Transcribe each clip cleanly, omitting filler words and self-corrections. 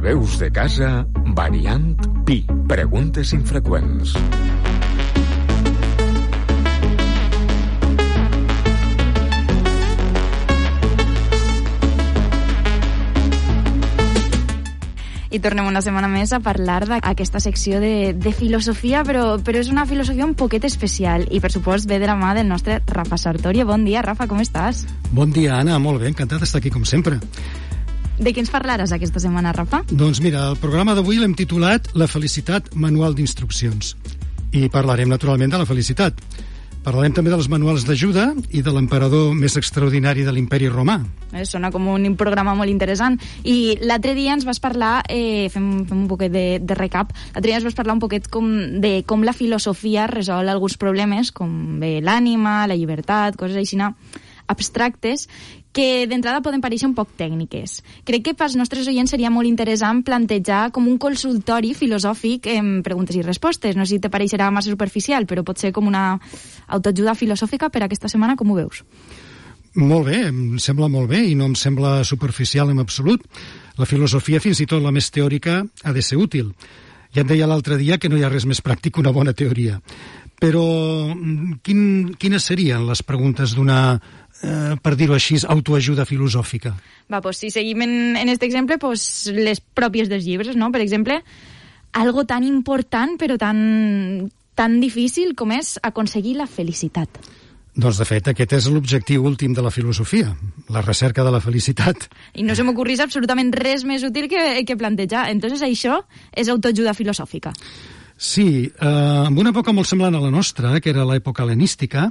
Veus de casa, variant Pi. Preguntes infreqüents. I tornem una setmana més a parlar d'aquesta secció de filosofia, però és una filosofia un poquet especial i, per supost, ve de la mà del nostre Rafa Sartori. Bon dia, Rafa, com estàs? Bon dia, Anna, molt bé, encantat d'estar aquí com sempre. De què ens parlaràs aquesta setmana, Rafa? Doncs mira, el programa d'avui l'hem titulat La felicitat, manual d'instruccions. I parlarem, naturalment, de la felicitat. Parlarem també dels manuals d'ajuda i de l'emperador més extraordinari de l'imperi romà. Sona com un programa molt interessant. I l'altre dia ens vas parlar, fem un poquet de recap, l'altre dia ens vas parlar un poquet de com la filosofia resol alguns problemes, com bé l'ànima, la llibertat, coses així abstractes, que d'entrada poden parèixer un poc tècniques. Crec que pels nostres oients seria molt interessant plantejar com un consultori filosòfic en preguntes i respostes. No sé si te pareixerà massa superficial, però pot ser com una autoajuda filosòfica per aquesta setmana. Com ho veus? Molt bé, em sembla molt bé i no em sembla superficial en absolut. La filosofia, fins i tot la més teòrica, ha de ser útil. Ja et deia l'altre dia que no hi ha res més pràctic que una bona teoria. Però quines serien les preguntes d'una, per dir-ho així, autoajuda filosòfica? Doncs si seguim en aquest exemple, les pròpies dels llibres, no? Per exemple, algo tan important però tan difícil com és aconseguir la felicitat. Doncs, de fet, aquest és l'objectiu últim de la filosofia, la recerca de la felicitat. I no se m'ocorrís absolutament res més útil que plantejar. Entonces això és autoajuda filosòfica. Sí, en una època molt semblant a la nostra, que era l'època hel·lenística,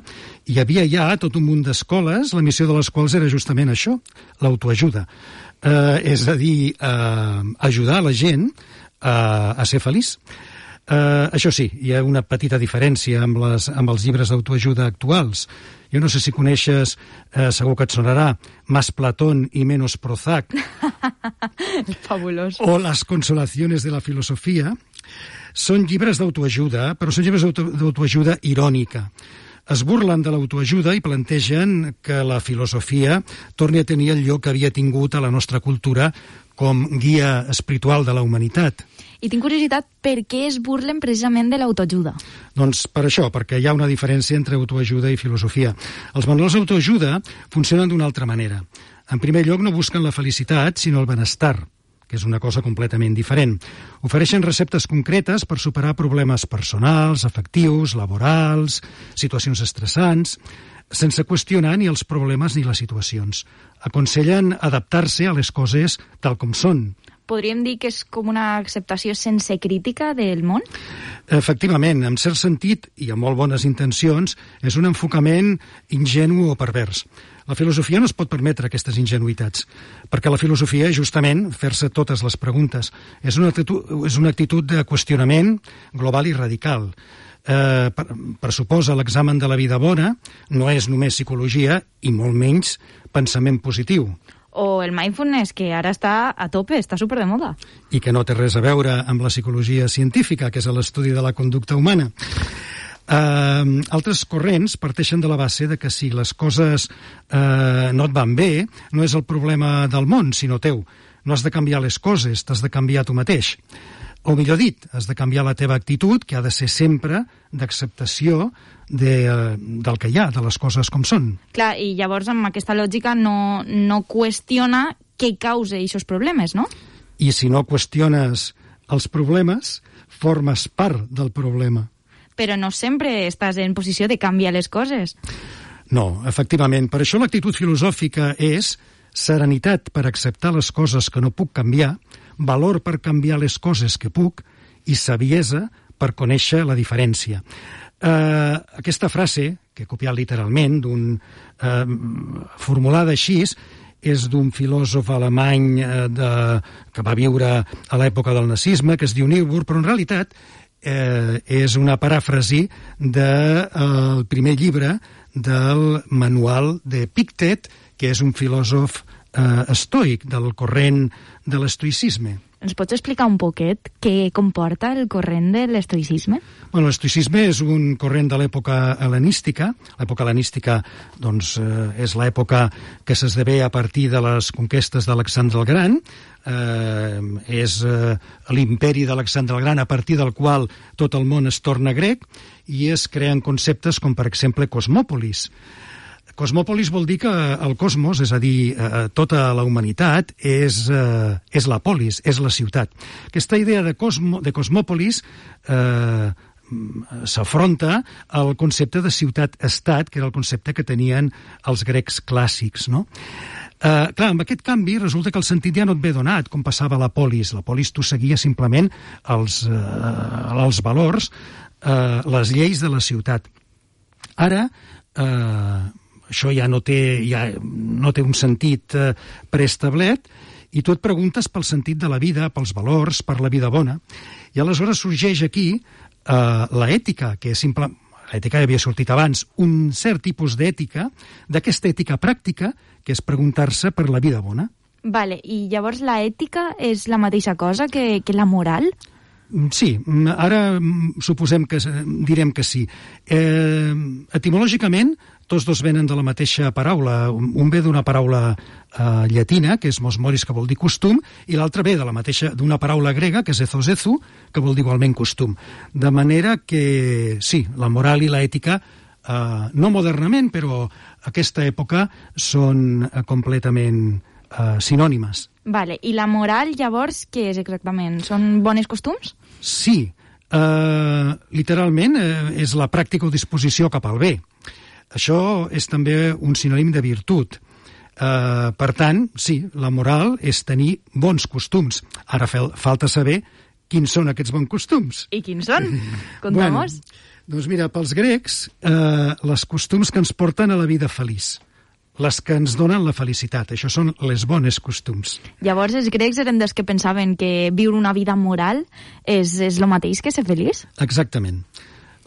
hi havia ja tot un munt d'escoles, la missió de les quals era justament això, l'autoajuda. És a dir, ajudar la gent a ser feliç. Això sí, hi ha una petita diferència amb els llibres d'autoajuda actuals. Jo no sé si coneixes, segur que et sonarà, Más Platón y menos Prozac. Fabulós. O Las consolaciones de la filosofia. Són llibres d'autoajuda, però són llibres d'autoajuda irònica. Es burlen de l'autoajuda i plantegen que la filosofia torni a tenir el lloc que havia tingut a la nostra cultura com guia espiritual de la humanitat. I tinc curiositat, per què es burlen precisament de l'autoajuda? Doncs per això, perquè hi ha una diferència entre autoajuda i filosofia. Els manuals d'autoajuda funcionen d'una altra manera. En primer lloc, no busquen la felicitat, sinó el benestar, que és una cosa completament diferent. Ofereixen receptes concretes per superar problemes personals, afectius, laborals, situacions estressants, sense qüestionar ni els problemes ni les situacions. Aconsellen adaptar-se a les coses tal com són. Podríem dir que és com una acceptació sense crítica del món? Efectivament, en cert sentit, i amb molt bones intencions, és un enfocament ingenu o pervers. La filosofia no es pot permetre aquestes ingenuïtats, perquè la filosofia és justament fer-se totes les preguntes. És una actitud de qüestionament global i radical. Pressuposa l'examen de la vida bona, no és només psicologia i molt menys pensament positiu. O el mindfulness, que ara està a tope, està super de moda. I que no té res a veure amb la psicologia científica, que és l'estudi de la conducta humana. Altres corrents parteixen de la base de que si les coses no et van bé, no és el problema del món, sinó teu. No has de canviar les coses, t'has de canviar tu mateix. O millor dit, has de canviar la teva actitud, que ha de ser sempre d'acceptació del que hi ha, de les coses com són. Clar, i llavors amb aquesta lògica no qüestiona què causa aquests problemes, no? I si no qüestiones els problemes, formes part del problema. Però no sempre estàs en posició de canviar les coses. No, efectivament. Per això l'actitud filosòfica és serenitat per acceptar les coses que no puc canviar, valor per canviar les coses que puc i saviesa per conèixer la diferència. Aquesta frase, que he copiat literalment, formulada així, és d'un filòsof alemany que va viure a l'època del nazisme, que es diu Niebuhr, però en realitat és una paràfrasi del primer llibre del manual de Pictet, que és un filòsof estoic, del corrent de l'estoïcisme. Ens pots explicar un poquet què comporta el corrent de l'estoïcisme? Bueno, l'estoïcisme és un corrent de l'època hel·lenística. L'època hel·lenística doncs, és l'època que s'esdevé a partir de les conquestes d'Alexandre el Gran. És l'imperi d'Alexandre el Gran a partir del qual tot el món es torna grec i es creen conceptes com, per exemple, cosmòpolis. Cosmòpolis vol dir que el cosmos, és a dir, tota la humanitat, és la polis, és la ciutat. Aquesta idea de cosmòpolis s'afronta al concepte de ciutat-estat, que era el concepte que tenien els grecs clàssics, no? Clar, amb aquest canvi resulta que el sentit ja no et ve donat, com passava a la polis. La polis tu seguies simplement els valors, les lleis de la ciutat. Ara, això ja no té un sentit preestablet i tu et preguntes pel sentit de la vida, pels valors, per la vida bona. I aleshores sorgeix aquí l'ètica, que és simple... L'ètica havia sortit abans, un cert tipus d'ètica, d'aquesta ètica pràctica, que és preguntar-se per la vida bona. Vale, i llavors la ètica és la mateixa cosa que la moral? Sí, ara suposem que direm que sí. Etimològicament, tots dos venen de la mateixa paraula. Un ve d'una paraula llatina, que és mos moris, que vol dir costum, i l'altre ve d'una paraula grega, que és ethos ethu, que vol dir igualment costum. De manera que, sí, la moral i l'ètica, no modernament, però aquesta època són completament sinònimes. Vale, i la moral, llavors, què és exactament? Són bons costums? Sí, literalment és la pràctica o disposició cap al bé. Això és també un sinònim de virtut. Per tant, sí, la moral és tenir bons costums. Ara falta saber quins són aquests bons costums. I quins són? Conta'm-nos. Doncs mira, pels grecs, les costums que ens porten a la vida feliç. Les que ens donen la felicitat. Això són les bones costums. Llavors, els grecs eren dels que pensaven que viure una vida moral és el mateix que ser feliç? Exactament.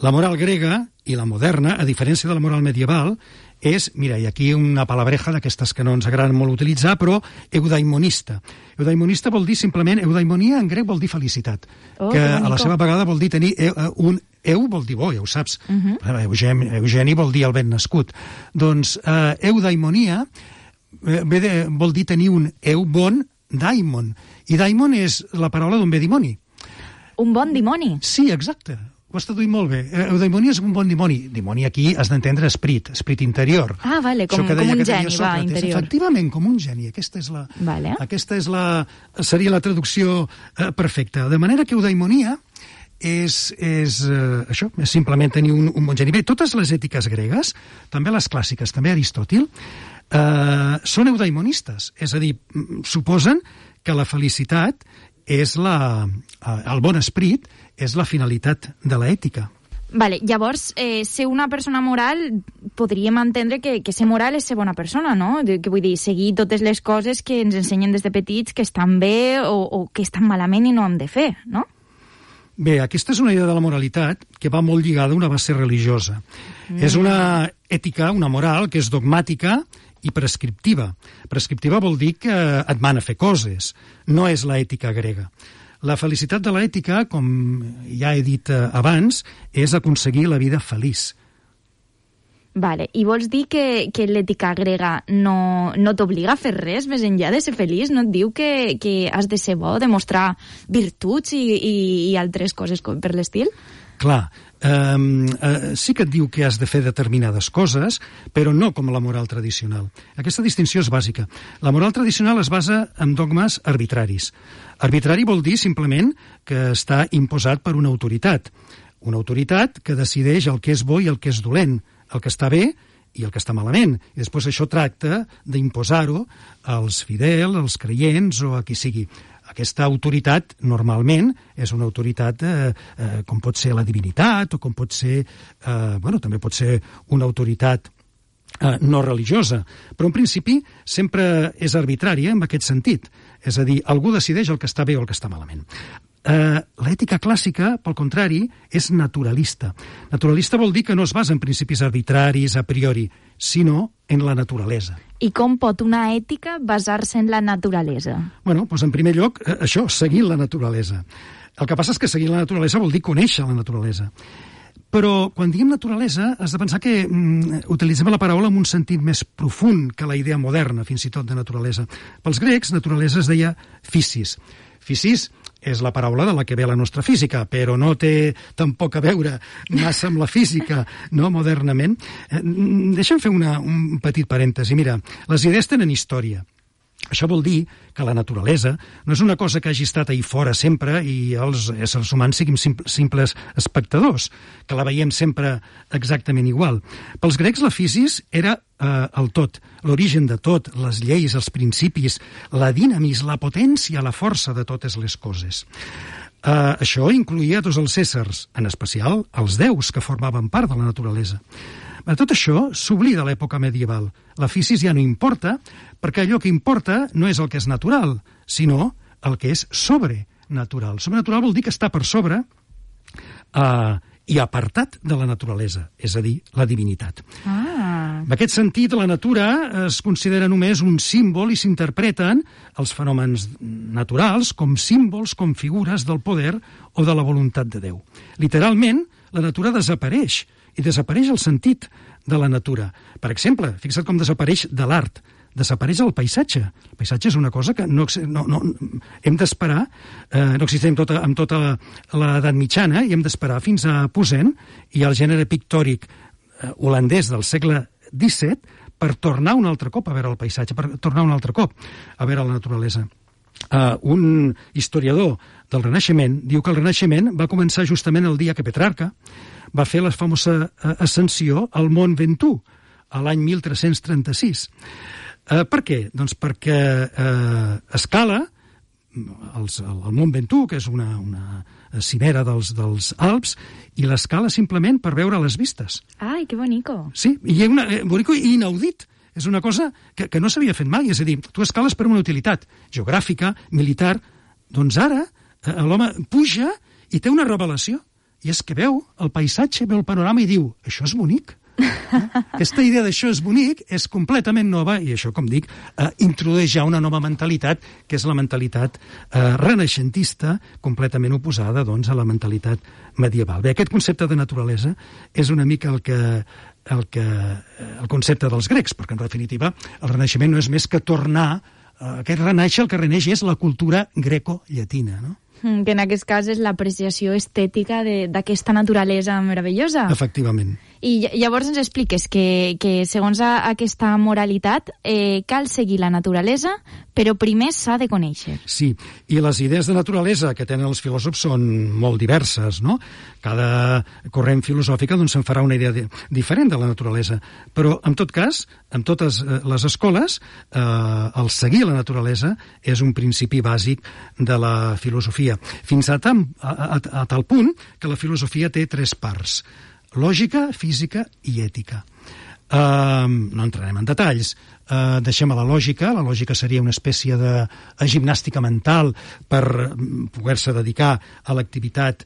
La moral grega i la moderna, a diferència de la moral medieval, és, mira, i aquí una palabreja d'aquestes que no ens agraden molt utilitzar, però eudaimonista. Eudaimonista vol dir simplement, eudaimonia en grec vol dir felicitat, que a la seva vegada vol dir tenir un eu vol dir bo, ja ho saps. Eugeni vol dir el ben nascut. Doncs eudaimonia vol dir tenir un eu bon daimon. I daimon és la paraula d'un bé dimoni. Un bon dimoni? Sí, exacte. Ho has traduït molt bé. Eudaimonia és un bon dimoni. Dimoni aquí has d'entendre esprit interior. Ah, vale, com un geni, va, interior. Efectivament, com un geni. Aquesta seria la traducció perfecta. De manera que eudaimonia és això, és simplement tenir un bon geni. Bé, totes les ètiques gregues, també les clàssiques, també Aristòtil, són eudaimonistes. És a dir, suposen que la felicitat és el bon esperit és la finalitat de l'ètica. Vale, llavors, ser una persona moral, podríem entendre que ser moral és ser bona persona, no? Que vull dir, seguir totes les coses que ens ensenyen des de petits que estan bé o que estan malament i no hem de fer, no? Bé, aquesta és una idea de la moralitat que va molt lligada a una base religiosa. És una ètica, una moral, que és dogmàtica i prescriptiva. Prescriptiva vol dir que et mana a fer coses. No és l'ètica grega. La felicitat de l'ètica, com ja he dit abans, és aconseguir la vida feliç. Vale, i vols dir que l'ètica grega no t'obliga a fer res més enllà de ser feliç? No et diu que has de ser bo, demostrar virtuts i altres coses per l'estil? Clar, sí que et diu que has de fer determinades coses, però no com la moral tradicional. Aquesta distinció és bàsica. La moral tradicional es basa en dogmes arbitraris. Arbitrari vol dir simplement que està imposat per una autoritat. Una autoritat que decideix el que és bo i el que és dolent, el que està bé i el que està malament. I després això tracta d'imposar-ho als fidels, als creients o a qui sigui. Aquesta autoritat, normalment, és una autoritat com pot ser la divinitat o com pot ser, també pot ser una autoritat no religiosa. Però, en principi, sempre és arbitrària en aquest sentit. És a dir, algú decideix el que està bé o el que està malament. L'ètica clàssica, pel contrari, és naturalista. Naturalista vol dir que no es basa en principis arbitraris a priori, sinó en la naturalesa. I com pot una ètica basar-se en la naturalesa? Bueno, doncs en primer lloc, això, seguint la naturalesa. El que passa és que seguir la naturalesa vol dir conèixer la naturalesa. Però quan diguem naturalesa has de pensar que utilitzem la paraula en un sentit més profund que la idea moderna, fins i tot, de naturalesa. Pels grecs, naturalesa es deia physis. Physis és la paraula de la que ve la nostra física, però no té tampoc a veure massa amb la física, no, modernament. Deixa'm fer un petit parèntesi. Mira, les idees tenen història. Això vol dir que la naturalesa no és una cosa que hagi estat ahí fora sempre i els éssers humans siguin simples espectadors, que la veiem sempre exactament igual. Pels grecs la physis era el tot, l'origen de tot, les lleis, els principis, la dinamis, la potència, la força de totes les coses. Això incloïa tots els éssers, en especial els déus que formaven part de la naturalesa. Tot això s'oblida a l'època medieval. La physis ja no importa, perquè allò que importa no és el que és natural, sinó el que és sobrenatural. Sobrenatural vol dir que està per sobre i apartat de la naturalesa, és a dir, la divinitat. En aquest sentit, la natura es considera només un símbol i s'interpreten els fenòmens naturals com símbols, com figures del poder o de la voluntat de Déu. Literalment, la natura desapareix, i desapareix el sentit de la natura. Per exemple, fixa't com desapareix de l'art. Desapareix el paisatge. El paisatge és una cosa que no hem d'esperar, no existeix amb tota l'edat mitjana, i hem d'esperar fins a Poussin i el gènere pictòric holandès del segle XVII per tornar un altre cop a veure el paisatge, per tornar un altre cop a veure la naturalesa. Un historiador del Renaixement diu que el Renaixement va començar justament el dia que Petrarca va fer la famosa ascensió al Mont Ventoux, a l'any 1336. Per què? Doncs perquè escala el Mont Ventoux, que és una cimera dels Alps, i l'escala simplement per veure les vistes. Ai, que bonico. Sí, i bonico i inaudit. És una cosa que no s'havia fet mai, és a dir, tu escales per una utilitat geogràfica, militar, doncs ara l'home puja i té una revelació. I és que veu el paisatge, veu el panorama i diu, això és bonic. Aquesta idea d'això és bonic és completament nova i això, com dic, introdueix ja una nova mentalitat, que és la mentalitat renaixentista, completament oposada doncs, a la mentalitat medieval. Bé, aquest concepte de naturalesa és una mica el concepte dels grecs, perquè en definitiva el Renaixement no és més que tornar, aquest renaixer, el que reneix és la cultura greco-llatina, no? Que en aquest cas és l'apreciació estètica d'aquesta naturalesa meravellosa. Efectivament. I llavors ens expliques que segons aquesta moralitat cal seguir la naturalesa, però primer s'ha de conèixer. Sí, i les idees de naturalesa que tenen els filòsofs són molt diverses, no? Cada corrent filosòfica doncs, se'n farà una idea diferent de la naturalesa, però en tot cas, en totes les escoles, el seguir la naturalesa és un principi bàsic de la filosofia, fins a tal punt que la filosofia té 3 parts: lògica, física i ètica. No entrarem en detalls. Deixem a la lògica. La lògica seria una espècie de gimnàstica mental per poder-se dedicar a l'activitat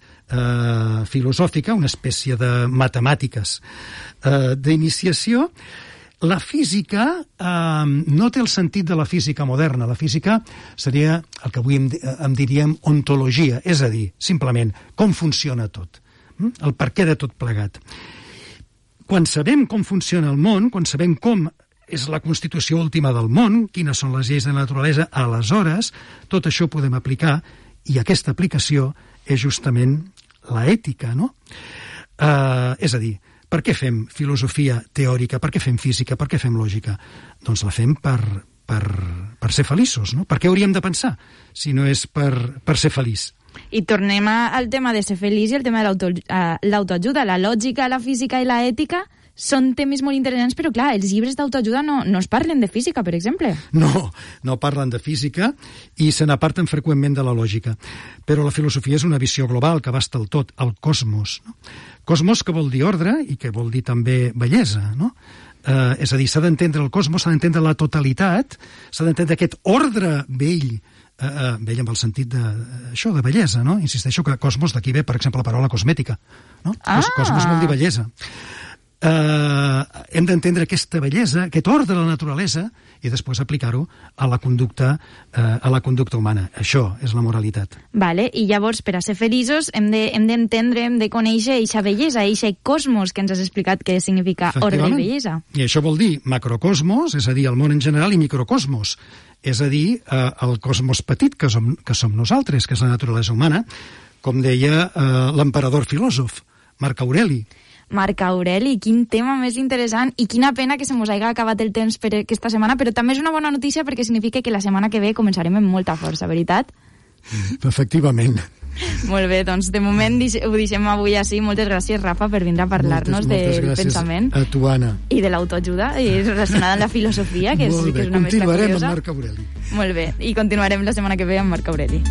filosòfica, una espècie de matemàtiques d'iniciació. La física no té el sentit de la física moderna. La física seria el que avui en diríem ontologia, és a dir, simplement com funciona tot, el perquè de tot plegat. Quan sabem com funciona el món, quan sabem com és la constitució última del món, quines són les lleis de la naturalesa, aleshores tot això ho podem aplicar, i aquesta aplicació és justament l'ètica, no? És a dir, per què fem filosofia teòrica? Per què fem física? Per què fem lògica? Doncs la fem per ser feliços, no? Per què hauríem de pensar si no és per ser feliç? I tornem al tema de ser feliç i el tema de l'autoajuda. La lògica, la física i l'ètica són temes molt interessants, però clar, els llibres d'autoajuda no es parlen de física, per exemple. No parlen de física i se n'aparten freqüentment de la lògica. Però la filosofia és una visió global que abasta el tot, el cosmos. No? Cosmos que vol dir ordre i que vol dir també bellesa, no? És a dir, s'ha d'entendre el cosmos, s'ha d'entendre la totalitat, s'ha d'entendre aquest ordre vell vell amb el sentit això, de bellesa, no? Insisteixo que cosmos, d'aquí ve, per exemple, la paraula cosmètica, no? Cosmos vol dir bellesa. Hem d'entendre aquesta bellesa, aquest ordre de la naturalesa, i després aplicar-ho a la conducta humana. Això és la moralitat. Vale, i llavors, per a ser feliços, hem d'entendre, hem de conèixer eixa bellesa, eixa cosmos que ens has explicat què significa ordre i bellesa. I això vol dir macrocosmos, és a dir, el món en general, i microcosmos, és a dir, el cosmos petit que som nosaltres, que és la naturalesa humana, com deia l'emperador filòsof, Marc Aureli. Marc Aureli, quin tema més interessant i quina pena que se mos hagi acabat el temps per aquesta setmana, però també és una bona notícia perquè significa que la setmana que ve començarem amb molta força, veritat? Efectivament. Molt bé, doncs de moment ho deixem avui així. Moltes gràcies, Rafa, per vindre a parlar-nos del pensament. A tu, Anna. I de l'autoajuda, relacionada amb la filosofia, que és una mescla curiosa. Continuarem amb Marc Aureli. Molt bé, i continuarem la setmana que ve amb Marc Aureli.